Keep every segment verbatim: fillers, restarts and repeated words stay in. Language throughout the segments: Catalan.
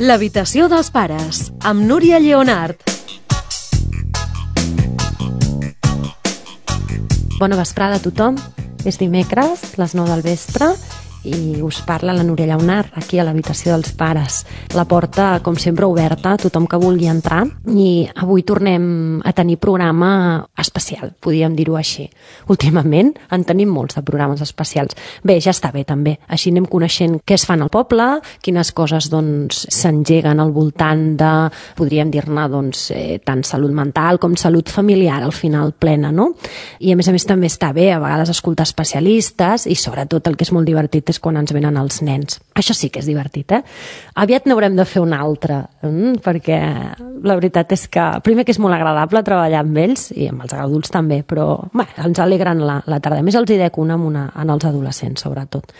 L'habitació dels pares, amb Núria Lleonart. Bona vesprada a tothom. És dimecres, les nou del vespre, i us parla la Núria Lleonart, aquí a l'habitació dels pares. La porta, com sempre, oberta a tothom que vulgui entrar, i avui tornem a tenir programa especial, podríem dir-ho així. Últimament en tenim molts de programes especials. Bé, ja està bé també, així anem coneixent què es fan al poble, quines coses doncs s'engeguen al voltant de, podríem dir-ne, doncs, eh, tant salut mental com salut familiar, al final plena, no? I a més a més també està bé a vegades escoltar especialistes, i sobretot el que és molt divertit és quan ens venen els nens. Això sí que és divertit, eh? Aviat n'haurem de fer un altre, mm, perquè la veritat és que, primer que és molt agradable treballar amb ells, i amb els adults també, però bé, ens alegren la, la tarda. A més, els hi dec una, una en els adolescents, sobretot.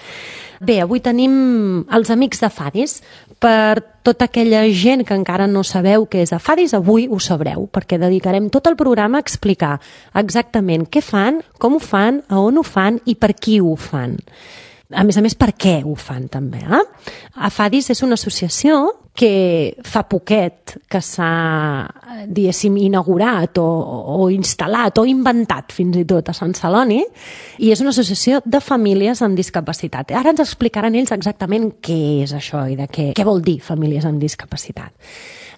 Bé, avui tenim els amics de Fadis. Per tota aquella gent que encara no sabeu què és a Fadis, avui ho sabreu, perquè dedicarem tot el programa a explicar exactament què fan, com ho fan, a on ho fan i per qui ho fan. A més a més, per què ho fan també, eh? A Fadis és una associació que fa poquet que s'ha, diguéssim, inaugurat o, o instal·lat o inventat fins i tot a Sant Celoni, i és una associació de famílies amb discapacitat. Ara ens explicaran ells exactament què és això i de què, què vol dir famílies amb discapacitat.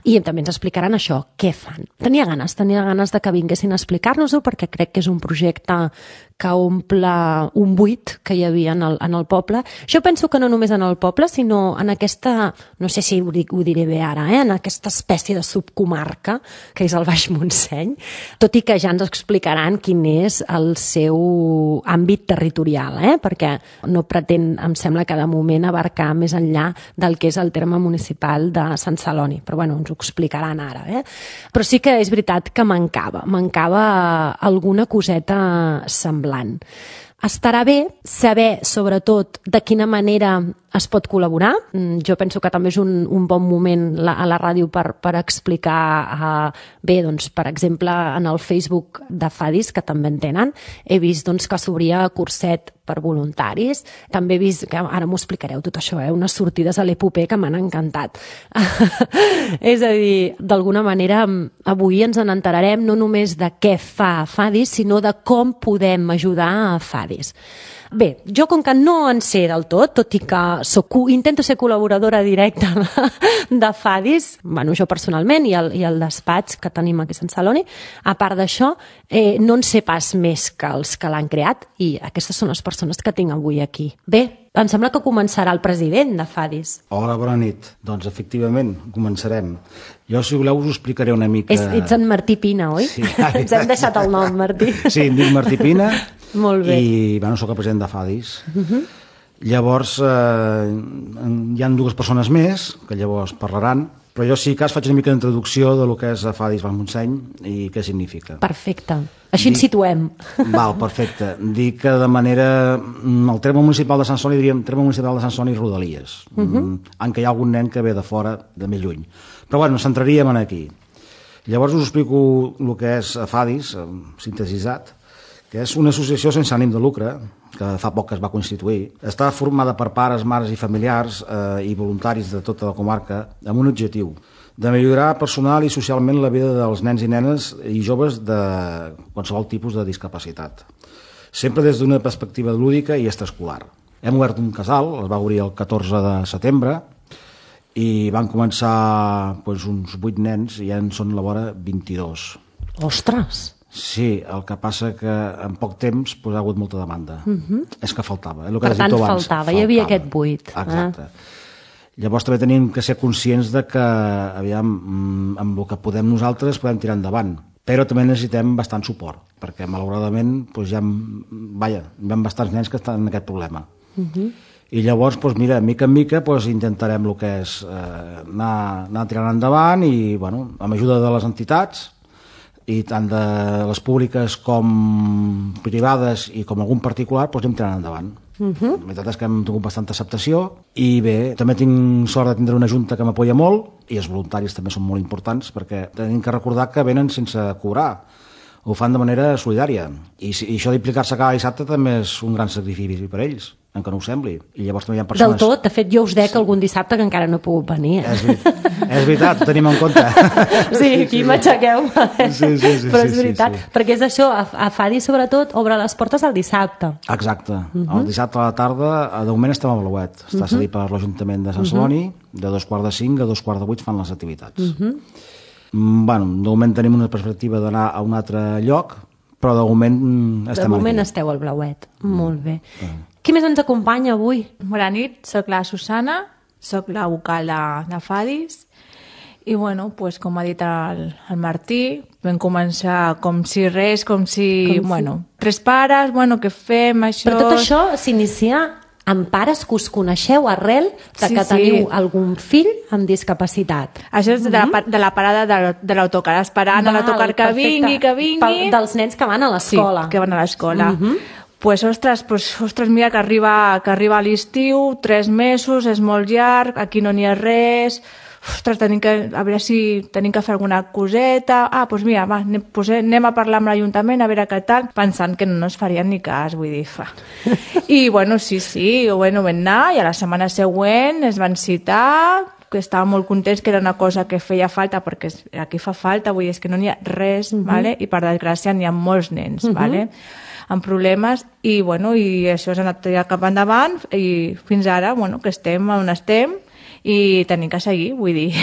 I també ens explicaran això, què fan. Tenia ganes, tenia ganes de que vinguessin a explicar-nos-ho, perquè crec que és un projecte que omple un buit que hi havia en el, en el poble. Jo penso que no només en el poble, sinó en aquesta, no sé si ho, dic, ho diré bé ara, eh? en aquesta espècie de subcomarca que és el Baix Montseny, tot i que ja ens explicaran quin és el seu àmbit territorial, eh? perquè no pretén, em sembla que de moment, abarcar més enllà del que és el terme municipal de Sant Celoni, però bueno, ens ho explicaran ara. Eh? Però sí que és veritat que mancava, mancava alguna coseta semblant. Estarà bé saber, sobretot, de quina manera es pot col·laborar. Jo penso que també és un, un bon moment la, a la ràdio per, per explicar, uh, bé, doncs, per exemple, en el Facebook de Fadis, que també en tenen, he vist doncs, que s'obria curset per voluntaris. També he vist, que ara m'ho explicareu tot això, eh? unes sortides a l'Epopé que m'han encantat. És a dir, d'alguna manera, avui ens en enterarem no només de què fa Fadis, sinó de com podem ajudar a Fadis. Bé, jo com que no en sé del tot, tot i que soc, intento ser col·laboradora directa de Fadis, bueno, jo personalment i el, i el despatx que tenim aquí a Sant Celoni, a part d'això, eh, no en sé pas més que els que l'han creat, i aquestes són les persones que tinc avui aquí. Bé, em sembla que començarà el president de Fadis. Hola, bona nit. Doncs efectivament, començarem. Jo, si voleu, us ho explicaré una mica... És, ets en Martí Pina, oi? Sí. Ens hem deixat el nom, Martí. Sí, em dic Martí Pina. Molt bé. I, bueno, soc el president de Fadis. Uh-huh. Llavors, eh, hi ha dues persones més, que llavors parlaran, però jo, si cas, faig una mica d'introducció de lo que és Fadis Baix Montseny i què significa. Perfecte. Així ens situem. Val, perfecte. Dic que de manera... El terme municipal de Sant Celoni, diríem terme municipal de Sant Celoni i Rodalies, uh-huh. en què hi ha algun nen que ve de fora, de més lluny. Però bueno, centraríem en aquí. Llavors us explico el que és Fadis, sintetitzat, que és una associació sense ànim de lucre, que fa poc que es va constituir. Està formada per pares, mares i familiars eh, i voluntaris de tota la comarca amb un objectiu, de millorar personal i socialment la vida dels nens i nenes i joves de qualsevol tipus de discapacitat, sempre des d'una perspectiva lúdica i extraescolar. Hem obert un casal, es va obrir el catorze de setembre, i van començar doncs, uns vuit nens i ja en són a la vora vint-i-dos. Ostres! Sí, el que passa que en poc temps doncs, ha hagut molta demanda. Uh-huh. És que faltava. Eh? El que per tant, abans, faltava. faltava, hi havia aquest buit. Exacte. Eh? Llavors també tenim que ser conscients de que, aviam, amb el que podem nosaltres podem tirar endavant, però també necessitem bastant suport, perquè malauradament doncs, hi ha, vaja, hi ha bastants nens que estan en aquest problema. Uh-huh. I llavors, doncs, mira, mica en mica doncs, intentarem el que és eh, anar, anar tirant endavant i, bueno, amb ajuda de les entitats, i tant de les públiques com privades i com algun particular, doncs anem tirant endavant. Uh-huh. La veritat és que hem tingut bastanta acceptació i bé, també tinc sort de tindre una junta que m'apoya molt i els voluntaris també són molt importants perquè tenim que recordar que venen sense cobrar, ho fan de manera solidària i, i això d'implicar-se cada dissabte també és un gran sacrifici per ells. en què no ho sembli. I llavors també hi ha persones... Del tot, de fet jo us dec algun dissabte que encara no he pogut venir. Eh? És, veritat, és veritat, ho tenim en compte. Sí, aquí m'aixequeu. Sí, sí, sí, però és sí, veritat, sí, sí. perquè és això, a, a Fadi sobretot obre les portes el dissabte. Exacte, uh -huh. El dissabte a la tarda, de moment estem a Blauet, està uh -huh. cedit per l'Ajuntament de Sant Celoni, uh -huh. de dos quarts de cinc a dos quarts de vuit fan les activitats. Uh -huh. Bueno, de moment tenim una perspectiva d'anar a un altre lloc, però de moment estem De moment aquí. esteu al Blauet, mm. molt bé. Uh -huh. Qui més ens acompanya avui? Bona nit, soc la Susana, soc la vocal de, de Fadis i bueno, pues, com ha dit el, el Martí, vam començar com si res, com si, com bueno, si... tres pares, bueno, què fem, això... Però tot això s'inicia amb pares que us coneixeu arrel de sí, que sí. teniu algun fill amb discapacitat. Això és de la, de la parada de, de l'autocar, esperant Val, a l'autocar que perfecte. vingui, que vingui... Pel, dels nens que van a l'escola. Sí, que van a l'escola. Uh -huh. Pues, ostres, pues, ostres, mira que arriba, que arriba l'estiu, tres mesos, és molt llarg, aquí no n'hi ha res... Ostres, tenim que, a veure si tenim que fer alguna coseta... Ah, doncs mira, va, anem, pues, anem a parlar amb l'Ajuntament, a veure què tal, pensant que no ens farien ni cas, vull dir, fa. I, bueno, sí, sí, bueno, vam anar, i a la setmana següent es van citar, que estàvem molt contents, que era una cosa que feia falta, perquè aquí fa falta, vull dir, és que no n'hi ha res, uh -huh. vale? I per desgràcia n'hi ha molts nens, uh -huh. vale? amb problemes, i, bueno, i això s'ha anat cap endavant, i fins ara, bueno, que estem on estem, i tenim que seguir, vull dir,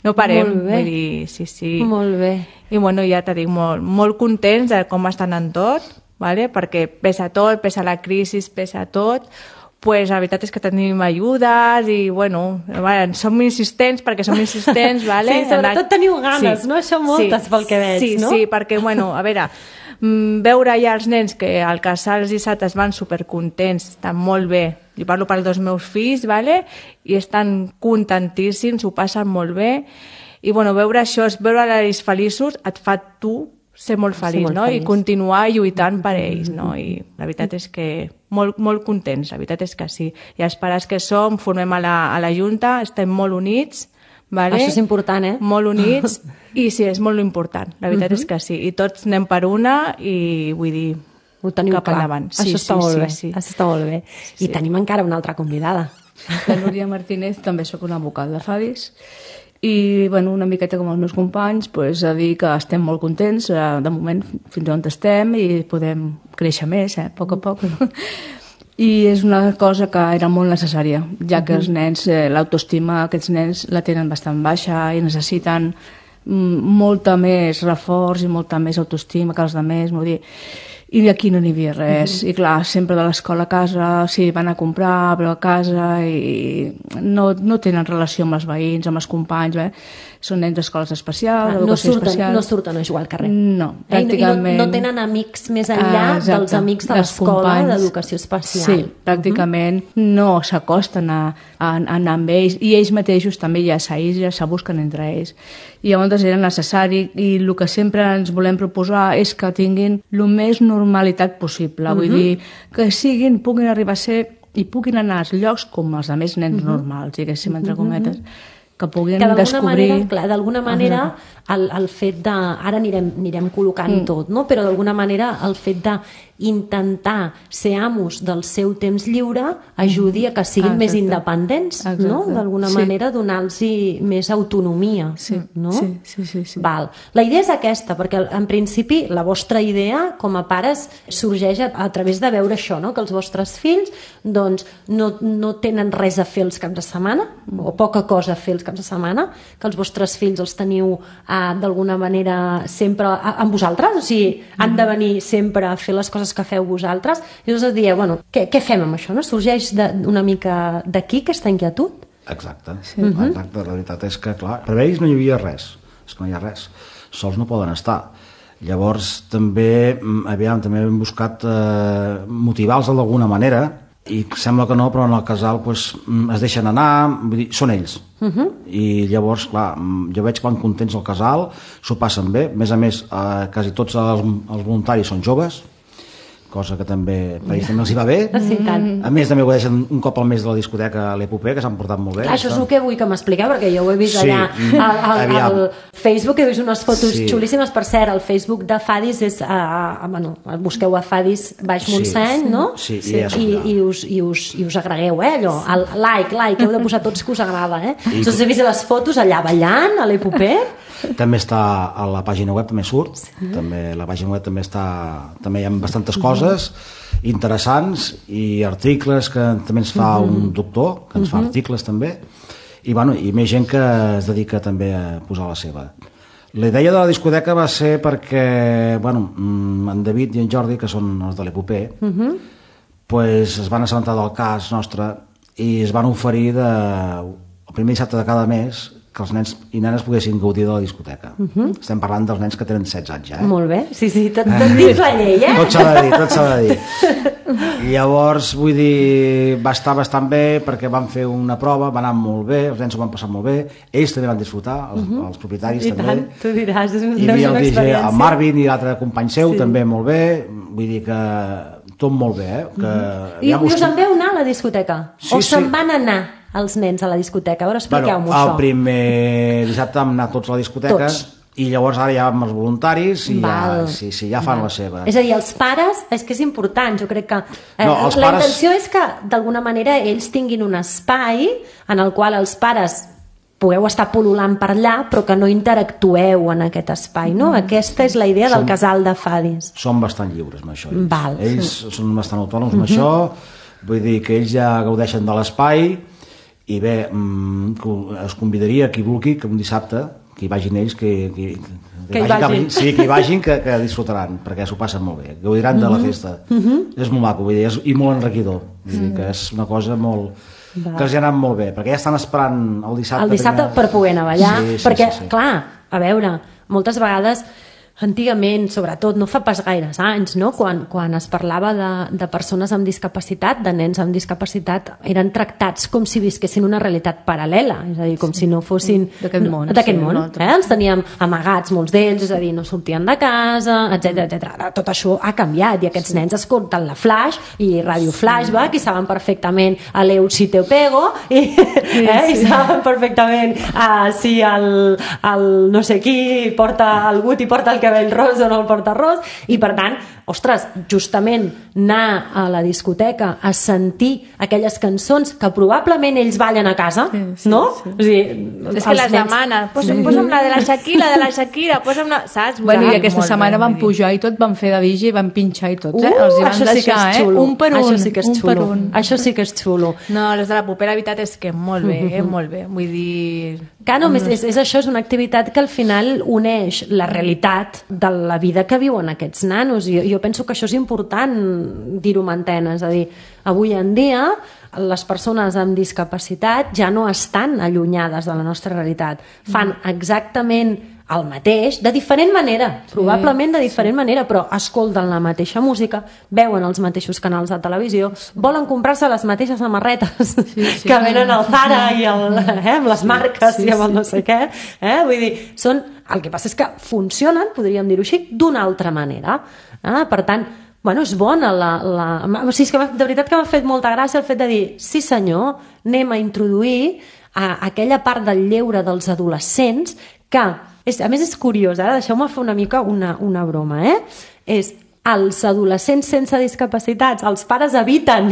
no parem, molt bé. Vull dir, sí, sí. Molt bé. I bueno, ja t'ho dic, molt, molt contents de com estan en tot, vale? Perquè pesa tot, pesa la crisi, pesa tot, pues la veritat és que tenim ajudes i, bueno, bueno som insistents perquè som insistents, vale? Sí, sobretot la... teniu ganes, sí. no? Això moltes sí. pel que veig, sí, no? Sí, sí, perquè, bueno, a veure, veure ja els nens que al casal els dissabtes van supercontents, estan molt bé, jo parlo pels dos meus fills, vale? I estan contentíssims, ho passen molt bé, i bueno, veure això, veure ells feliços, et fa tu ser molt feliç, molt no? feliç. I continuar lluitant per ells, no? I la veritat és que molt, molt contents, la veritat és que sí. I els pares que som, formem a la, a la Junta, estem molt units, vale? Això és important, eh? Molt units, i sí, és molt important, la veritat uh -huh. és que sí. I tots anem per una, i vull dir, ho teniu cap clar. endavant. Sí, això està sí, molt sí, bé. sí. Això està molt bé. I Sí. tenim encara una altra convidada. La Núria Martínez, també sóc una vocal de Fadis, i bueno, una miqueta com els meus companys, pues, a dir que estem molt contents, eh, de moment fins on estem, i podem créixer més, eh, a poc a poc. I és una cosa que era molt necessària, ja que els nens, eh, l'autoestima, aquests nens la tenen bastant baixa i necessiten mm, molta més reforç i molta més autoestima que els altres, vull dir, i aquí no n'hi havia res, mm-hmm. i clar, sempre de l'escola a casa, sí, van a comprar, però a casa, i no, no tenen relació amb els veïns, amb els companys, eh? Són nens d'escoles especials, no, educació surten, especial. no surten a jugar al carrer. No, Eh, pràcticament... I no, no tenen amics més enllà Ah, exacte. dels amics de Dels l'escola companys. d'educació especial. Sí, pràcticament no s'acosten a, a, a anar amb ells, i ells mateixos també ja s'aïllen, se busquen entre ells. I llavors era necessari, i el que sempre ens volem proposar és que tinguin el més normalitat possible, vull dir, que siguin, puguin arribar a ser i puguin anar als llocs com els altres nens normals, diguéssim, entre cometes, que puguin que d'alguna descobrir... manera, clar, d'alguna manera el, el fet de... Ara anirem, anirem col·locant mm. tot, no? Però d'alguna manera el fet de intentar ser amos del seu temps lliure ajudi a que siguin Exacte. més independents, Exacte. no? D'alguna Sí. manera donar-los més autonomia, Sí, no? sí, sí, sí, sí. Val. La idea és aquesta, perquè en principi la vostra idea com a pares sorgeix a, a través de veure això, no? Que els vostres fills doncs, no, no tenen res a fer els caps de setmana, o poca cosa a fer els caps de setmana, que els vostres fills els teniu eh, d'alguna manera sempre a, amb vosaltres, o sigui, han de venir sempre a fer les coses que feu vosaltres, i llavors dieu, bueno, què, què fem amb això? No? Sorgeix de, una mica d'aquí aquesta inquietud? Exacte, sí. Exacte, la veritat és que, clar, per ells no hi havia res, és que no hi ha res, sols no poden estar. Llavors també, aviam, també hem buscat eh, motivar-los d'alguna manera, i sembla que no, però en el casal pues, es deixen anar, vull dir, són ells. Uh -huh. I llavors, clar, jo veig que van contents al casal, s'ho passen bé, a més a més, eh, quasi tots els, els voluntaris són joves, cosa que també per ells també els hi va bé. Sí, tant. A més també ho deixen un cop al mes de la discoteca a l'Epopé, que s'han portat molt bé. Clar, això és el que vull que m'expliqueu, perquè jo ho he vist Sí, allà al, al, aviam. al Facebook, he vist unes fotos Sí. xulíssimes. Per cert, el Facebook de Fadis és, a, a, bueno, busqueu a Fadis baix Sí. Montseny, no? Sí, i ja I, sortirà. i, us, i, us, i us agregueu, eh, allò, el like, like, heu de posar tots que us agrada, eh? I- Us he vist les fotos allà ballant, a l'Epopé. També està a la pàgina web, també surt, també la pàgina web també està, també hi ha bastantes coses interessants i articles que també ens fa un doctor, que ens fa articles també, i, bueno, i més gent que es dedica també a posar la seva. La idea de la discoteca va ser perquè, bueno, mm, en David i en Jordi, que són els de l'Epopé, pues es van assabentar del cas nostre i es van oferir de, el primer dissabte de cada mes que els nens i nenes poguessin gaudir de la discoteca. Estem parlant dels nens que tenen setze anys ja, eh? Molt bé, sí, sí, tot, tot dins la llei, eh? Tot s'ha de dir, tot s'ha de dir. I llavors, vull dir, va estar bastant bé perquè van fer una prova, va anar molt bé, els nens ho van passar molt bé, ells també van disfrutar, els, els propietaris I també. tant, tu diràs, és, Hi deu ser havia una el D J, experiència. el Marvin i l'altre company seu, Sí. també molt bé, vull dir que tot molt bé, eh? Que, I, aviam, I us us- en veu anar a la discoteca? Sí, o se'n sí. van anar els nens a la discoteca? A veure, expliqueu-m'ho el això. primer dissabte vam anar tots a la discoteca Tots. i llavors ara ja amb els voluntaris i ja, Val. sí, sí, ja fan la seva. És a dir, els pares, és que és important, jo crec que eh, No, els la pares- intenció és que d'alguna manera ells tinguin un espai en el qual els pares pugueu estar pol·lulant per allà però que no interactueu en aquest espai, no? Aquesta és la idea del Som- casal de Fadis. Són bastant lliures amb això. Ells, Val. ells són bastant autònoms amb això, vull dir que ells ja gaudeixen de l'espai i bé, mm, que es convidaria qui vulgui que un dissabte que hi vagin ells que, que, Que hi vagin. sí, que hi vagin que, que disfrutaran perquè s'ho passen molt bé, gaudiran de la festa. És molt maco, vull dir, és, i molt enriquidor, vull dir que és una cosa molt que els hi ha anat molt bé, perquè ja estan esperant el dissabte, El dissabte primer- per poder anar a ballar, sí, sí, perquè, sí, sí. clar, a veure, moltes vegades antigament, sobretot, no fa pas gaires anys, no? quan, quan es parlava de, de persones amb discapacitat, de nens amb discapacitat, eren tractats com si visquessin una realitat paral·lela, és a dir, com si no fossin D'aquest món, d'aquest sí, món. un altre. Eh? Els teníem amagats molts d'ells, és a dir, no sortien de casa, etcètera etcètera. Ara tot això ha canviat i aquests nens escolten la Flash i Ràdio Flashback i saben perfectament a l'Eu si te pego i, eh? I saben perfectament uh, si el, el no sé qui porta el Guti porta el cabell ros o no el porta ros, i per tant, ostres, justament anar a la discoteca a sentir aquelles cançons que probablement ells ballen a casa, Sí, sí, no? sí. O sigui, És que els les nens- demanen, posa'm, posa'm la de la Shakira, de la Shakira, posa'm la... Saps? Bueno, i Clar, aquesta molt setmana bé, van vull dir. pujar i tot, van fer de D J, van pinxar i tot, eh? Uh, Els hi van això sí que deixar, és xulo. eh? Un per un, Això sí que és un per xulo. un. Això sí que és xulo. No, les de la Popera, la veritat és que molt bé, eh? Molt bé. Vull dir... Que no, és, és, és això, és una activitat que al final uneix la realitat de la vida que viuen aquests nanos. Jo, jo penso que això és important dir-ho amb antena, és a dir, avui en dia les persones amb discapacitat ja no estan allunyades de la nostra realitat. Fan exactament el mateix, de diferent manera, probablement de diferent manera, però escolten la mateixa música, veuen els mateixos canals de televisió, volen comprar-se les mateixes samarretes sí. que venen al Zara i el, eh, amb les marques sí, i amb el sí. no sé què. Eh? Vull dir, són, el que passa és que funcionen, podríem dir-ho així, d'una altra manera. Eh? Per tant, bueno, és bona la... la... O sigui, és que de veritat que m'ha fet molta gràcia el fet de dir, sí senyor, anem a introduir a aquella part del lleure dels adolescents que, és, a més és curiós, ara deixeu-me fer una mica una, una broma, eh? És els adolescents sense discapacitats, els pares eviten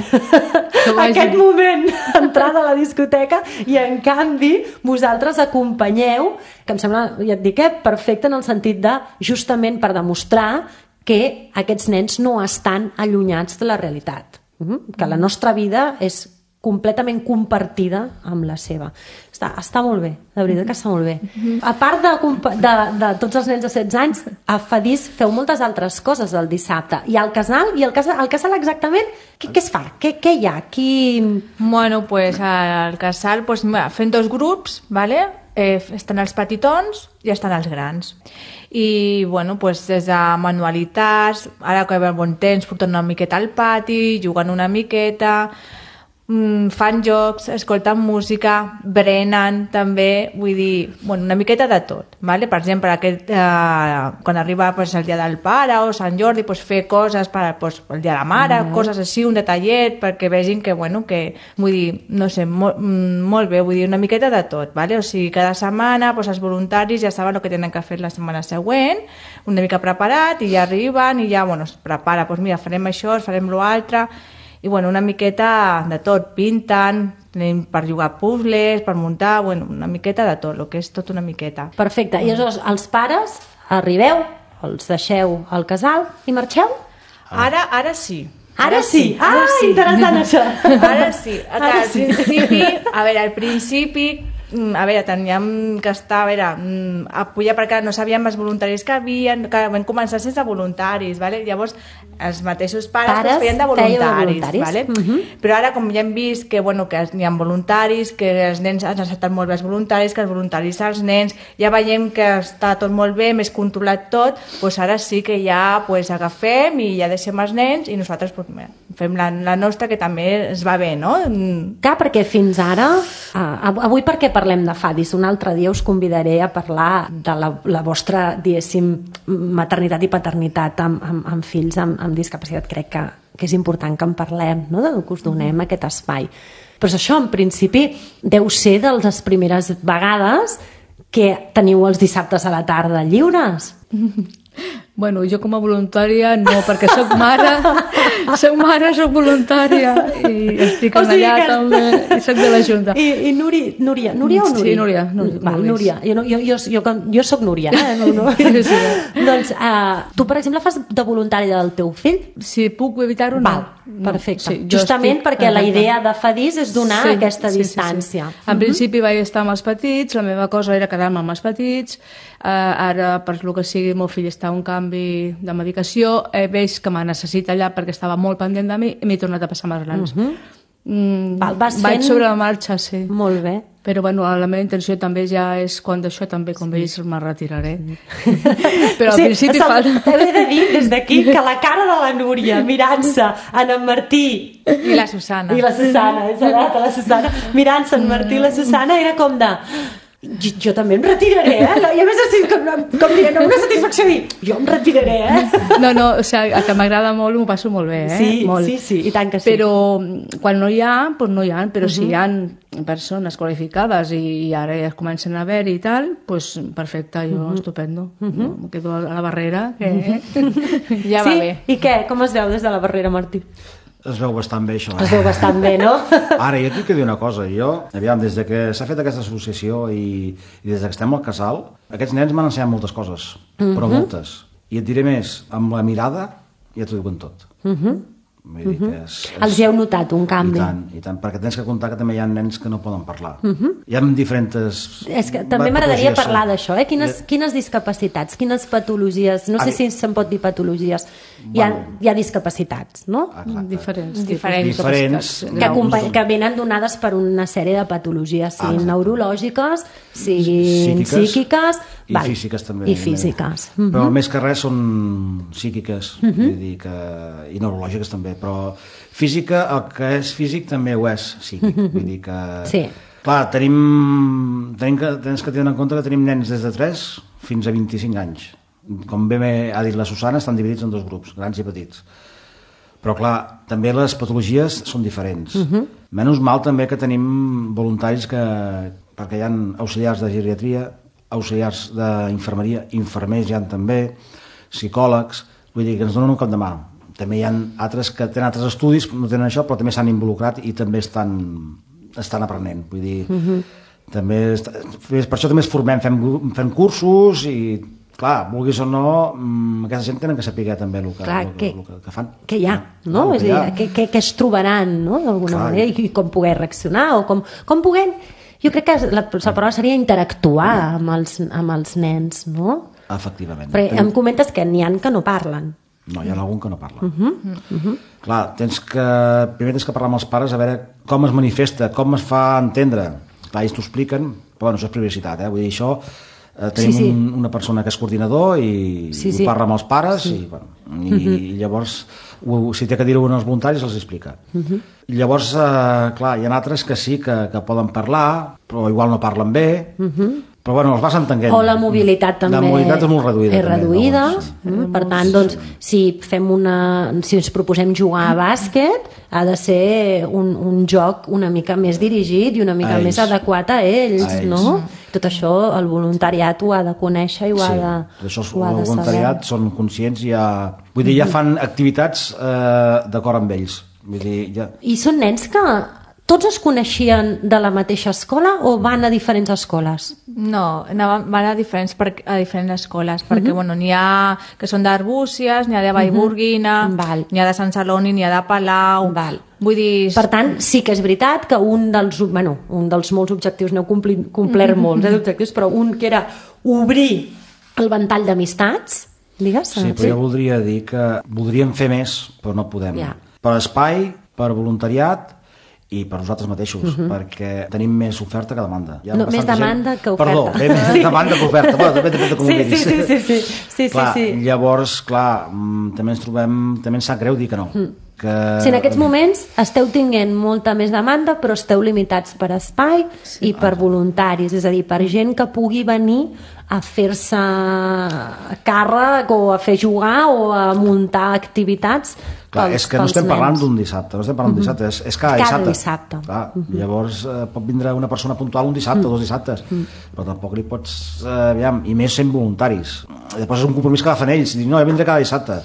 aquest moment d'entrar a la discoteca i en canvi vosaltres acompanyeu, que em sembla, ja et dic, eh, perfecte en el sentit de justament per demostrar que aquests nens no estan allunyats de la realitat, que la nostra vida és completament compartida amb la seva. Està, està molt bé, de veritat que està molt bé. A part de, compa- de, de tots els nens de setze anys, a Fadis feu moltes altres coses el dissabte. I al casal, i al casal, al casal exactament, què, què es fa? Què, què hi ha? Qui... Bueno, pues al casal, pues, mira, fent dos grups, ¿vale? Eh, estan els petitons i estan els grans. I, bueno, pues des de manualitats, ara que ve el bon temps, portant una miqueta al pati, jugant una miqueta... mm, fan jocs, escolten música, berenen també, vull dir, bueno, una miqueta de tot, vale? Per exemple, aquest, eh, quan arriba pues, el dia del pare o Sant Jordi, pues, fer coses per pues, el dia de la mare, mm. coses així, un detallet, perquè vegin que, bueno, que, vull dir, no sé, molt, molt bé, vull dir, una miqueta de tot, vale? O sigui, cada setmana pues, els voluntaris ja saben el que tenen que fer la setmana següent, una mica preparat, i ja arriben i ja, bueno, es prepara, doncs mira, farem això, farem l'altre, i bueno, una miqueta de tot, pinten, tenim per jugar puzzles, per muntar, bueno, una miqueta de tot, el que és tot una miqueta. Perfecte, i aleshores els pares arribeu, els deixeu al casal i marxeu? Ara, ara sí. Ara, ara sí, sí. Ah, ara sí. Interessant això. Ara sí, ara al sí. principi, a veure, al principi, a veure, teníem que estar, a veure, a pujar perquè no sabíem els voluntaris que havien, que vam començar sense voluntaris, vale? Llavors els mateixos pares, pares pues, feien de voluntaris, de voluntaris. Vale? Uh -huh. Però ara com ja hem vist que, bueno, que hi ha voluntaris, que els nens han acceptat molt bé els voluntaris, que els voluntaris als nens, ja veiem que està tot molt bé, més controlat tot, doncs ara sí que ja pues, agafem i ja deixem els nens i nosaltres pues, fem la, la nostra, que també es va bé, no? Clar, perquè fins ara, uh, avui perquè parlem de Fadis, un altre dia us convidaré a parlar de la, la vostra, diguéssim, maternitat i paternitat amb, amb, amb fills amb, amb discapacitat. Crec que, que és important que en parlem, no? De que us donem aquest espai. Però això, en principi, deu ser de les primeres vegades que teniu els dissabtes a la tarda lliures. Bueno, jo com a voluntària no, perquè soc mare, soc mare, soc voluntària i estic o sigui allà que... també, i soc de la Junta. I, i Nuri, Núria, Núria o Nuri? Sí, Núria. Núria, Va, Núria. Jo, jo, jo, jo, jo soc Núria. Eh? No, no. Sí, sí. Doncs uh, tu, per exemple, fas de voluntària del teu fill? Si puc evitar-ho, no. Val, perfecte. Sí, justament estic... perquè la idea de Fadis és donar sí, aquesta sí, distància. Sí, sí. En uh -huh. principi vaig estar amb els petits, la meva cosa era quedar-me amb els petits, uh, ara, per lo que sigui, el meu fill està a un canvi de medicació, he vist que me necessita allà perquè estava molt pendent de mi i m'he tornat a passar més grans. Uh -huh. mm, Val, vas vaig fent... sobre la marxa, sí. Molt bé. Però bueno, la meva intenció també ja és quan d'això també, com sí. veus, me retiraré. Sí. Però al sí, principi falta... T'he de dir des d'aquí que la cara de la Núria mirant-se en en Martí i la Susana i la Susana, és edat, la Susana mirant-se en Martí i la Susana era com de... Jo, jo també em retiraré, eh? I a més així, com, com dient, una satisfacció dir, jo em retiraré, eh? No, no, o sigui, que m'agrada molt, m'ho passo molt bé, eh? Sí, molt. sí, sí, i tant que sí. Però quan no hi ha, doncs no hi ha, però uh -huh. si hi ha persones qualificades i, i ara ja comencen a haver i tal, doncs perfecte, jo uh -huh. estupendo. Uh -huh. Em quedo a la barrera, que uh -huh. ja va sí? bé. I què? Com es veu des de la barrera, Martí? Es veu bastant bé, això. Eh? Es veu bastant bé, no? Ara, jo tinc que dir una cosa. Jo, aviam, des de que s'ha fet aquesta associació i, i des que estem al casal, aquests nens m'han ensenyat moltes coses, uh -huh. però moltes. I et diré més, amb la mirada ja t'ho diuen tot. Uh -huh. Vull dir que és, és... Els hi heu notat un canvi? I tant, i tant, perquè tens que comptar que també hi ha nens que no poden parlar. Uh -huh. Hi ha diferents... És que també m'agradaria parlar d'això, eh? Quines, quines discapacitats, quines patologies, no sé si se'n pot dir patologies, hi ha, bueno, hi ha discapacitats, no? Exacte. Diferents. Diferents. Diferents. Que, que venen donades per una sèrie de patologies, siguin ah, neurològiques, siguin psíquiques, psíquiques i val, físiques també. I físiques. Uh -huh. Però més que res són psíquiques, uh -huh. vull dir que, i neurològiques també, però física, el que és físic també ho és psíquic, vull dir que... Sí. Clar, tenim, tenim que, tens que tenir en compte que tenim nens des de tres fins a vint-i-cinc anys. Com bé ha dit la Susana, estan dividits en dos grups, grans i petits. Però clar, també les patologies són diferents. Uh -huh. Menys mal també que tenim voluntaris que, perquè hi ha auxiliars de geriatria, auxiliars d'infermeria, infermers hi ha també, psicòlegs, vull dir que ens donen un cop de mà. També hi ha altres que tenen altres estudis, no tenen això, però també s'han involucrat i també estan, estan aprenent. Vull dir, uh-huh. també està, per això també es formem, fem, fem cursos i, clar, vulguis o no, aquesta gent tenen que saber també el que, clar, el, que, el, el que fan. Que hi ha, no? Clar, és a dir, que, que, que es trobaran, no?, d'alguna manera, i, i com poder reaccionar, o com, com puguem... Jo crec que la, la paraula seria interactuar amb els, amb els nens, no? Efectivament. Però em comentes que n'hi ha que no parlen. No, hi ha algun que no parla. Uh -huh, uh -huh. Clar, tens que, primer tens que parlar amb els pares a veure com es manifesta, com es fa entendre. Clar, ells t'ho expliquen, però bueno, això és privacitat, eh? Vull dir, això eh, tenim Sí, sí. Un, una persona que és coordinador i, Sí, i sí. parla amb els pares sí. i, bueno, i, Mhm. i llavors ho, si té que dir-ho als voluntaris els explica. Mhm. Llavors, eh, clar, hi ha altres que sí que, que poden parlar, però igual no parlen bé, Mhm. però bueno, els vas entenent. O la mobilitat també La mobilitat és molt reduïda. és també, reduïda. llavors, sí. Mm, per tant, doncs, si fem una, si ens proposem jugar a bàsquet, ha de ser un, un joc una mica més dirigit i una mica A més ells. adequat a ells, A ells. no? Tot això el voluntariat ho ha de conèixer i ho ha Sí, de, això ho ha el de voluntariat saber. són conscients i ja, vull dir, ja fan activitats eh, d'acord amb ells. Vull dir, ja... I són nens que tots es coneixien de la mateixa escola o van a diferents escoles? No, anaven, van a diferents, per, a diferents escoles, perquè bueno, n'hi ha que són d'Arbúcies, n'hi ha de Vallburguina, Val. n'hi ha de Sant Celoni, n'hi ha de Palau... Val. Vull dir... Per tant, sí que és veritat que un dels, bueno, un dels molts objectius, n'heu compli- complert molts eh, objectius, però un que era obrir el ventall d'amistats, digues? Sí, però jo voldria dir que voldríem fer més, però no podem. Ja. Per espai, per voluntariat i per nosaltres mateixos, uh-huh. perquè tenim més oferta que demanda. Hi ha No, més bastanta demanda gent... que oferta. Perdó, bé, més demanda que oferta. Bueno, depèn, depèn de com Sí, ho miris. sí, sí, sí, sí, sí, clar, sí, sí. Llavors, clar, mm, també ens trobem... També ens sap greu dir que no. Mm. Que... Si en aquests moments esteu tinguent molta més demanda però esteu limitats per espai sí, i per voluntaris, és a dir, per gent que pugui venir a fer-se càrrec o a fer jugar o a muntar activitats. Clar, pels, és que no estem parlant d'un dissabte, no estem parlant d'un Mhm. dissabte, és, és cada, Cada dissabte. dissabte. Clar, Mhm. Llavors eh, pot vindre una persona puntual un dissabte, Mhm. dos dissabtes, però tampoc li pots... Eh, aviam, i més sent voluntaris. Després és un compromís que agafen ells, dir, no, jo vindré cada dissabte.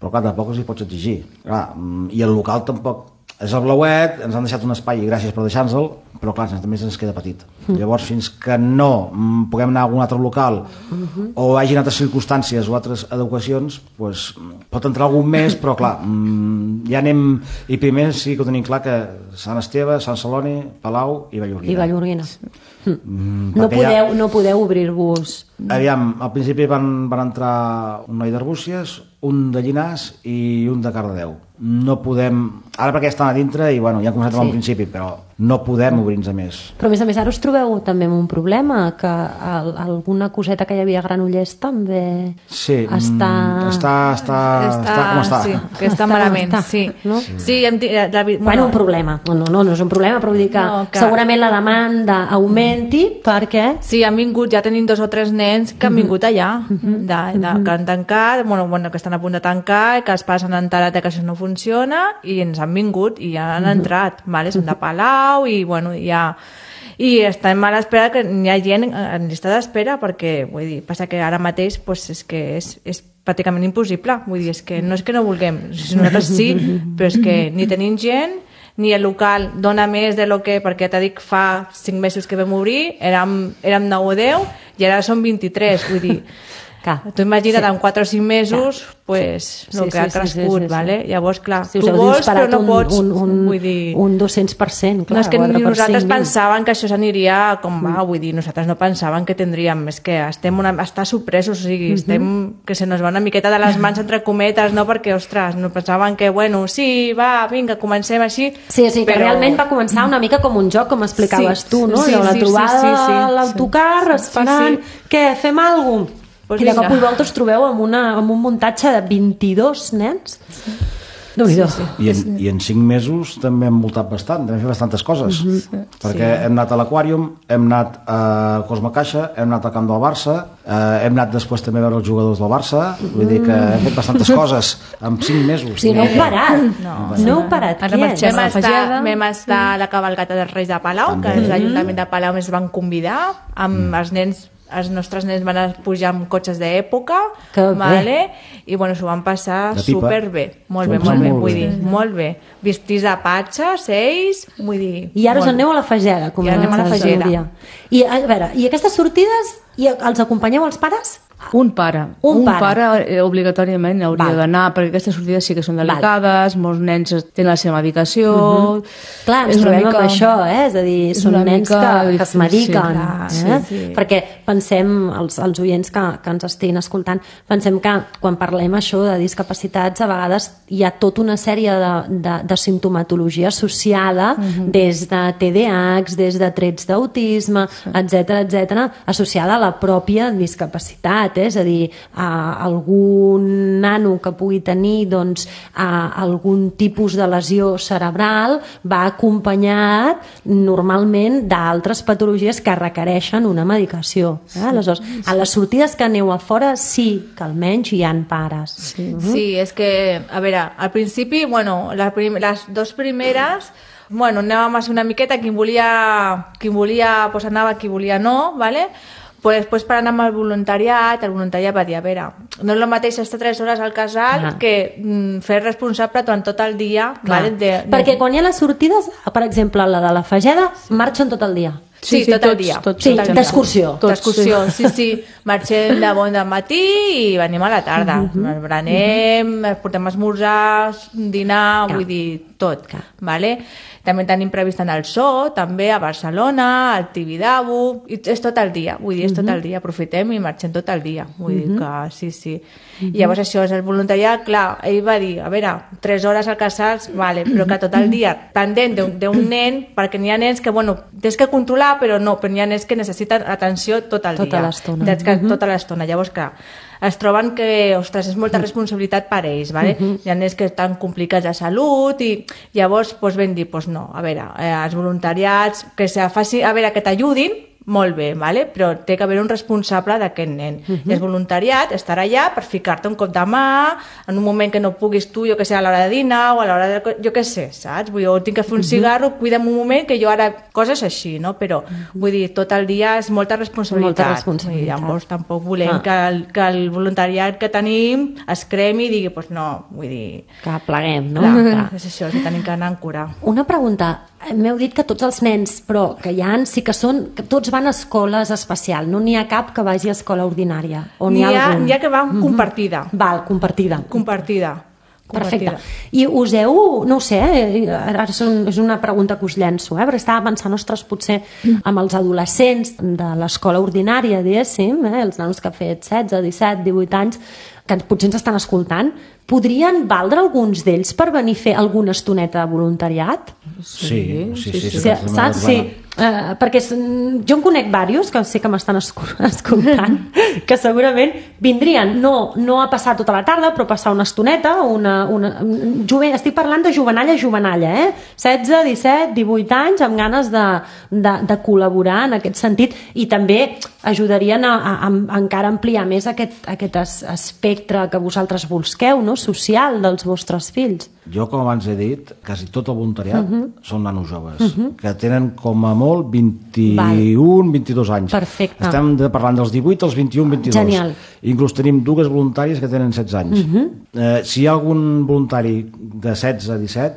Però clar, tampoc els hi pots exigir. Clar, mm, i el local tampoc... És el Blauet, ens han deixat un espai i gràcies per deixar-nos-el, però clar, també ens queda petit. Mm. Llavors, fins que no mm, puguem anar a algun altre local Mhm. o hagin altres circumstàncies o altres adequacions, pues, pot entrar algun més, però clar, mm, ja anem... I primer sí que ho tenim clar que Sant Esteve, Sant Celoni, Palau i Vallurguina. I Vallurguina. Mm, No perquè ja- podeu, no podeu obrir-vos... Aviam, al principi van, van entrar un noi d'Arbúcies, un de Llinars i un de Cardedeu. No podem... Ara perquè estan a dintre i bueno, ja hem començat Sí. al principi, però no podem obrir-nos a més. Però a més a més ara us trobeu també amb un problema, que el, alguna coseta que hi havia a Granollers també Sí, està... mm, està, està, està, està com està. Sí, que està, Està malament, com està, sí. no? Sí, hem, ti- la, la, Bueno, un problema. No, no, no és un problema, però vull dir que, No, que- segurament la demanda augmenti perquè... Sí, han vingut, ja tenim dos o tres nens que han vingut allà, de, de, que han tancat, bueno, bueno, que estan a punt de tancar, que els pares han enterat que això no funciona i ens han vingut i ja han entrat, vale? Són de Palau i bueno, ja... I estem a l'espera que hi ha gent en llista d'espera perquè, vull dir, passa que ara mateix pues, és que és, és pràcticament impossible, vull dir, és que no és que no vulguem, nosaltres sí, però és que ni tenim gent ni el local dona més de lo que, perquè t'ha dit fa cinc mesos que vam obrir, érem, érem nou o deu i ara són vint-i-tres, vull dir, Clar. tu imagina't Sí. en quatre o cinc mesos pues, Sí, el sí, que ha sí, sí, crescut, sí, sí. vale? Llavors, clar, Si tu us heu vols disparat però no un, pots, un, un, vull dir... un dos-cents per cent, clar, No, és que quatre ni per nosaltres cinc mil. pensàvem que això s'aniria com va, vull dir, nosaltres no pensàvem que tindríem, és que estem una, està sorpresos, o sigui, estem, que se nos va una miqueta de les mans entre cometes, no? Perquè, ostres, no pensàvem que, bueno, sí, va, vinga, comencem així. Sí, sí, que però... realment va començar una mica com un joc, com explicaves Sí, tu, no? sí, Allò, la sí, trobada sí, sí, sí, a l'autocar, sí. esperant, Sí, què, fem alguna cosa? Pues I de cop vinga. i volta us trobeu amb, una, amb un muntatge de vint-i-dos nens. Déu-n'hi-do. I en, I en cinc mesos també hem multat bastant, també hem fet bastantes coses. Perquè hem anat a l'Aquàrium, hem anat a Cosme Caixa, hem anat al camp del Barça, eh, hem anat després també a veure els jugadors del Barça, vull dir que hem fet bastantes coses en cinc mesos. O sigui, no heu parat. No, no heu parat. Ara quiets. marxem Vam a estar, Fageda. vam estar a la cavalcata dels Reis de Palau, que També. els l'Ajuntament de Palau ens van convidar, amb els nens els nostres nens van pujar amb cotxes d'època, Que bé. vale? I bueno, s'ho van passar De pipa. superbé, molt bé, S'ho van molt bé, passar molt vull bé. dir, molt bé. Vestits de patxes, ells, vull dir... I ara us molt aneu a bé. la Fageda, com I anem a la ens Fageda. diria. I a veure, i aquestes sortides i els acompanyeu els pares? Un pare. Un un pare. pare eh, obligatòriament hauria Val. d'anar, perquè aquestes sortides sí que són delicades, Val. molts nens tenen la seva medicació... Uh -huh. Clar, ens trobem mica... amb això, eh? És a dir, és són nens que, que es mediquen. Clar, eh? sí, sí. Perquè pensem, els, els oients que, que ens estiguin escoltant, pensem que quan parlem això de discapacitats, a vegades hi ha tota una sèrie de, de, de simptomatologia associada, uh -huh. des de T D A H, des de trets d'autisme, sí. etcètera, etcètera, associada a la pròpia discapacitat, eh? És a dir, a algun nano que pugui tenir doncs, a algun tipus de lesió cerebral va acompanyat normalment d'altres patologies que requereixen una medicació. Eh? Aleshores, a les sortides que aneu a fora sí que almenys hi ha pares. Sí, uh -huh. sí, és que, a veure, al principi, bueno, les, prim les dues primeres, bueno, anàvem a ser una miqueta, qui volia, qui volia pues anava, qui volia no, ¿vale? Pues després per anar amb el voluntariat, el voluntariat va dir, a veure, no és el mateix estar tres hores al casal Clar. que mm, fer responsable durant tot el dia. Vale? De, de... Perquè quan hi ha les sortides, per exemple, la de la Fageda, marxen tot el dia. Sí, sí, tot tots, el dia. Tots, sí, d'excursió. D'excursió, sí, sí. Marxem de bon del matí i venim a la tarda. Uh -huh. Berenem, uh -huh. portem esmorzars, dinar, Clar. vull dir, tot. Clar. Vale? També tenim previst anar al Zoo, també a Barcelona, al Tibidabo, i és tot el dia, vull dir, és tot el dia, aprofitem i marxem tot el dia, vull dir que sí, sí. I llavors això és el voluntariat, clar, ell va dir, a veure, tres hores al casals, vale, però que tot el dia pendent d'un nen, perquè n'hi ha nens que, bueno, tens que controlar, però no, però n'hi ha nens que necessiten atenció tot el dia. Tota l'estona. Tota l'estona, llavors, clar, es troben que, ostres, és molta responsabilitat per ells, ¿vale? Uh -huh. Hi ha nens que estan complicats de salut i llavors pues, vam dir, pues no, a veure, eh, els voluntariats, que se faci, a veure, que t'ajudin, molt bé, ¿vale? Però té que haver un responsable d'aquest nen. Uh -huh. I el voluntariat estarà allà per ficar-te un cop de mà en un moment que no puguis tu, jo que sé, a l'hora de dinar o a l'hora de... jo que sé, saps? Vull dir, o tinc que fer un uh -huh. cigarro, cuida'm un moment que jo ara... coses així, no? Però, uh -huh. vull dir, tot el dia és molta responsabilitat. Molta responsabilitat. I llavors tampoc volem ah. que, el, que el voluntariat que tenim es cremi i digui, doncs pues no, vull dir... Que pleguem, no? Clar, clar, és això, que tenim que anar en cura. Una pregunta. M'heu dit que tots els nens, però que hi ha, sí que són... que tots van a escoles especials, no n'hi ha cap que vagi a escola ordinària? N'hi ha, ha que va compartida. Mm-hmm. Val, compartida. Compartida. Perfecte. I us heu, no ho sé, ara és una pregunta que us llenço, eh? Perquè estava pensant, ostres, potser amb els adolescents de l'escola ordinària, diguéssim, eh? Els nanos que han fet setze, disset, divuit anys, que potser ens estan escoltant, podrien valdre alguns d'ells per venir a fer alguna estoneta de voluntariat? Sí, sí, sí. sí, sí, sí, sí, saps? Sí. Uh, perquè jo en conec diversos que sé que m'estan escoltant que segurament vindrien no, no a passar tota la tarda, però a passar una estoneta, una, una, jove, estic parlant de jovenalla a jovenalla, eh? setze, disset, divuit anys, amb ganes de, de, de col·laborar en aquest sentit, i també ajudarien a, a, a encara ampliar més aquest, aquest espectre que vosaltres busqueu, no? Social dels vostres fills. Jo, com abans he dit, quasi tot el voluntariat uh -huh. són nanos joves, uh -huh. que tenen com a molt vint-i-un, vint-i-dos anys. Perfecte. Estem de, parlant dels divuit als vint-i-un, vint-i-dos. Genial. Inclús tenim dues voluntàries que tenen setze anys. Uh -huh. eh, si hi ha algun voluntari de setze a disset,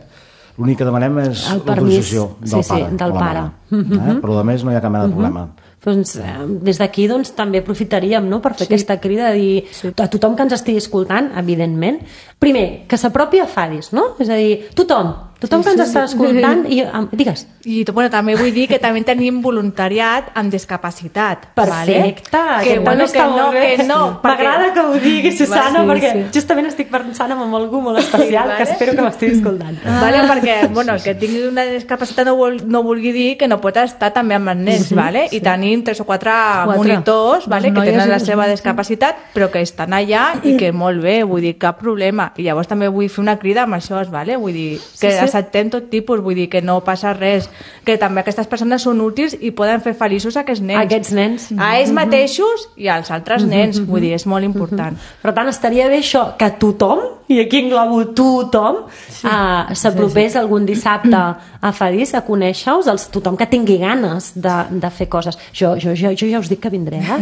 l'únic que demanem és l'autorització del sí, pare. Sí, del pare. Uh -huh. eh? Però a més no hi ha cap mena de problema. Uh -huh. Doncs, eh, des d'aquí doncs, també aprofitaríem, no?, per fer sí. aquesta crida de dir sí. a tothom que ens estigui escoltant, evidentment, primer, que s'apropi a Fadis, no? És a dir, tothom, tothom sí, que ens sí, està escoltant i, um, digues. I bueno, també vull dir que també tenim voluntariat amb discapacitat. Perfecte, vale? que, bueno, que no, que no. M'agrada que ho diguis, Susana, sí, perquè sí. justament estic pensant en algú molt especial, sí, vale? Que espero que m'estigui escoltant. Ah. Vale, perquè bueno, que tingui una discapacitat no, vol, no vulgui dir que no pot estar també amb els nens, uh -huh, vale? I sí. tenim tres o quatre, quatre. monitors, vale? que tenen la seva discapacitat, però que estan allà i que molt bé, vull dir, cap problema. I llavors també vull fer una crida amb això, vale? Vull dir, que sí, sí. acceptem tot tipus, vull dir, que no passa res, que també aquestes persones són útils i poden fer feliços a aquests nens. Aquests nens. A ells mateixos i als altres nens, vull dir, és molt important. Per tant, estaria bé això, que tothom, i aquí englobo tothom, sí. uh, s'apropés sí, sí. algun dissabte a Fadis a conèixer-us, els, tothom que tingui ganes de, de fer coses. Jo, jo, jo, jo ja us dic que vindré, eh?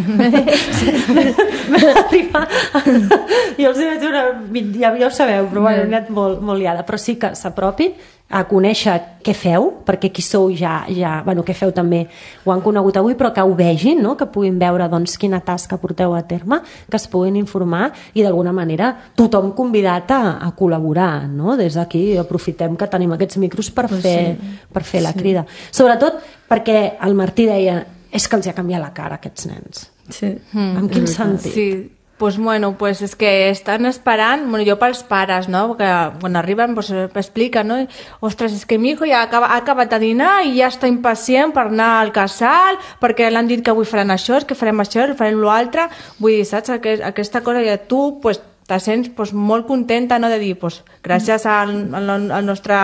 jo els hi vaig una... Ja, ja ho sabeu, però bueno, he anat molt, molt liada. Però sí que s'apropin a conèixer què feu, perquè qui sou ja, ja bueno, què feu també ho han conegut avui, però que ho vegin, no? Que puguin veure doncs, quina tasca porteu a terme, que es puguin informar i d'alguna manera tothom convidat a, a col·laborar, no? Des d'aquí aprofitem que tenim aquests micros per fer, sí. per fer la sí. crida. Sobretot perquè el Martí deia és que els ha canviat la cara aquests nens. Sí. Mm, en quin sentit? Sí. Pues bueno, pues es que estan esperant, bueno, jo pels pares, no? Que quan arriben pues expliquen, no? Ostres, és que mi hijo ja acaba, ha acabat de dinar i ja està impacient per anar al casal, perquè l'han dit que avui faran això, que farem això, farem l'altre. Vull dir, saps? Aquesta cosa ja tu, pues, te sents pues, molt contenta, no? De dir, pues, gràcies al, al, al nostre...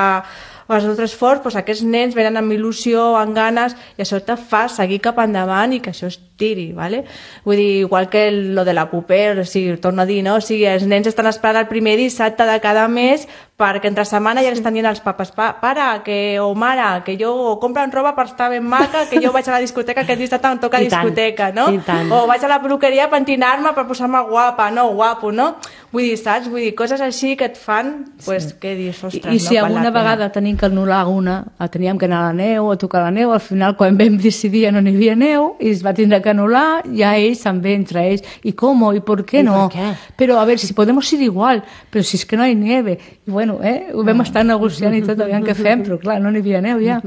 els nostres esforç, doncs aquests nens venen amb il·lusió, amb ganes, i això te fa seguir cap endavant i que això es tiri, ¿vale? Vull dir, igual que el, lo de la puper, o sigui, torno a dir, no? O sigui, els nens estan esperant el primer dissabte de cada mes perquè entre setmana ja li estan dient als papes, pa, pare, que, o mare, que jo compren roba per estar ben maca, que jo vaig a la discoteca, aquest dissabte em toca I discoteca, tant, no? i tant. O vaig a la peluqueria a pentinar-me per posar-me guapa, no, guapo, no? Vull dir, saps? Vull dir, coses així que et fan, pues, sí. que dius, ostres, I, i si no? alguna vegada tenim que anul·lar una, teníem que anar a la neu, a tocar la neu, al final quan vam decidir no n'hi havia neu i es va tindre que anul·lar, ja ells també entre ells, i com, i per què no? Per què? Però a veure, si podemos ir igual, però si és que no hi nieve, i bueno, eh, ho vam estar negociant i tot, aviam què fem, però clar, no n'hi havia neu ja,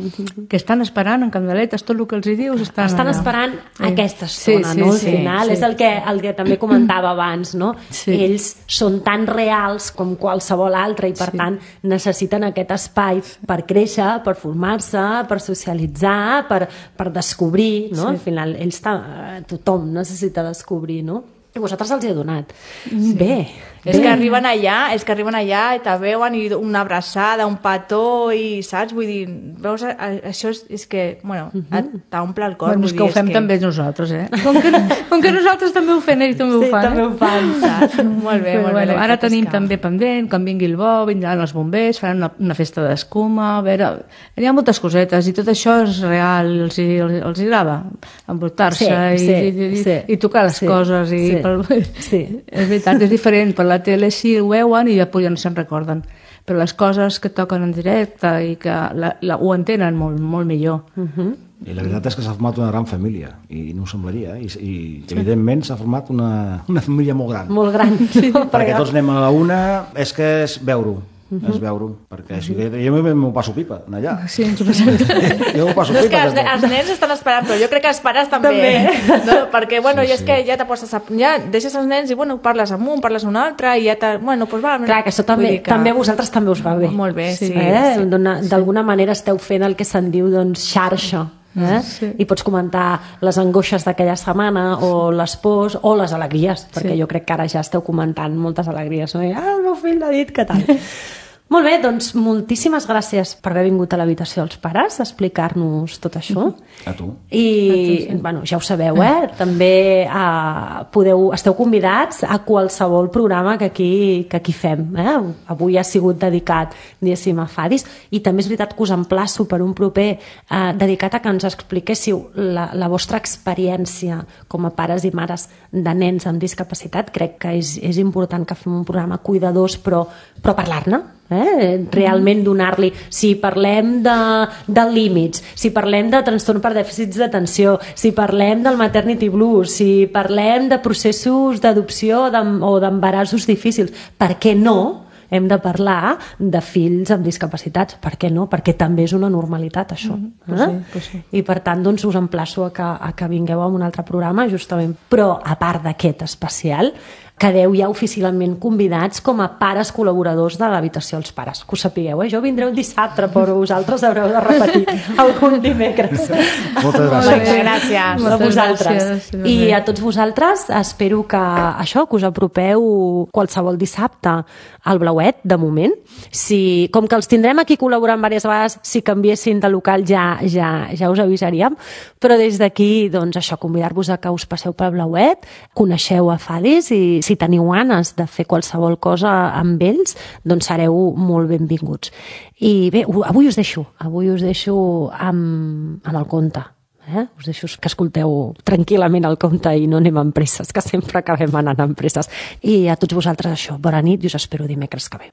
que estan esperant en candeletes, tot el que els hi dius, estan, estan esperant sí. aquesta estona, sí, sí, no? Al sí, final, sí. és el que, el que també comentava abans, no? Sí. Ells són tan reals com qualsevol altre i per Sí. tant necessiten aquest espai per créixer, per formar-se, per socialitzar, per, per descobrir, no? Sí. Al final, ells tothom necessita descobrir, no? I vosaltres els hi he donat. Sí. Bé. És que arriben allà, és que arriben allà i te veuen i una abraçada, un petó i, saps? Vull dir, veus, això és, és que, bueno, uh-huh. t'omple el cor. Bueno, és vull que dir, ho fem que... també nosaltres, eh? Com que, com que nosaltres també ho fem, ells també Sí, ho fan. també eh? ho fan, saps? Molt bé, Però, molt bueno, bé. ara tenim també pendent, quan vingui el bo, vindran els bombers, faran una, una festa d'escuma, a veure, hi ha moltes cosetes i tot això és real, els, hi, els, els hi agrada envoltar-se Sí, i, sí, i, i, sí. i tocar les Sí, coses. I sí, pel... sí. És veritat, és diferent, per la tele sí ho veuen i després ja no se'n recorden. Però les coses que toquen en directe i que la, la, ho entenen molt, molt millor. Uh-huh. I la veritat és que s'ha format una gran família, i no ho semblaria, i, i evidentment s'ha format una, una família molt gran. Molt gran. Sí, perquè tots anem a la una, és que és veure-ho, uh-huh. és veure-ho, perquè si, jo m'ho passo pipa, allà. Sí, ens ho passem. Jo m'ho passo No, és pipa. que els, els nens estan esperant, però jo crec que els pares també. També. No? Perquè, bueno, Sí, sí, és sí. que ja te poses a, ja deixes els nens i, bueno, parles amb un, parles amb un altre, i ja te... Bueno, doncs va... Clar, que això també, Vull dir que... també a vosaltres també us va bé. Molt bé, sí. eh? sí. D'alguna manera esteu fent el que se'n diu doncs, xarxa. Eh? Sí. I pots comentar les angoixes d'aquella setmana o les pors o les alegries, perquè Sí. jo crec que ara ja esteu comentant moltes alegries, no? I, ah, el meu fill l'ha dit, què tal? Molt bé, doncs moltíssimes gràcies per haver vingut a l'habitació dels pares a explicar-nos tot això. A tu. I, bueno, ja ho sabeu, eh? També eh, podeu, esteu convidats a qualsevol programa que aquí, que aquí fem. Eh? Avui ha sigut dedicat, diguéssim, a Fadis, i també és veritat que us emplaço per un proper eh, dedicat a que ens expliquéssiu la, la vostra experiència com a pares i mares de nens amb discapacitat. Crec que és, és important que fem un programa cuidadors, però, però parlar-ne. Eh? Realment donar-li, si parlem de, de límits, si parlem de trastorn per dèficits d'atenció, si parlem del maternity blues, si parlem de processos d'adopció o d'embarassos difícils, per què no hem de parlar de fills amb discapacitats? Per què no? Perquè també és una normalitat, això. Mm-hmm. Pues eh? sí, pues sí. I per tant, doncs, us emplaço a que, a que vingueu a un altre programa, justament. Però, a part d'aquest especial, quedeu ja oficialment convidats com a pares col·laboradors de l'habitació dels pares. Que ho sapigueu, eh? Jo vindré un dissabte, però vosaltres haureu de repetir algun dimecres. Moltes Molt gràcies. bé, gràcies. A Moltes vosaltres. gràcies. I a tots vosaltres espero que això, que us apropeu qualsevol dissabte al Blauet, de moment. Si, com que els tindrem aquí col·laborant diverses vegades, si canviessin de local ja, ja, ja us avisaríem, però des d'aquí, doncs això, convidar-vos a que us passeu pel Blauet, coneixeu a Fadis i si teniu ganes de fer qualsevol cosa amb ells, doncs sereu molt benvinguts. I bé, avui us deixo, avui us deixo amb, amb el conte. Eh? Us deixo que escolteu tranquil·lament el conte i no anem amb presses, que sempre acabem anant amb presses. I a tots vosaltres això, bona nit i us espero dimecres que ve.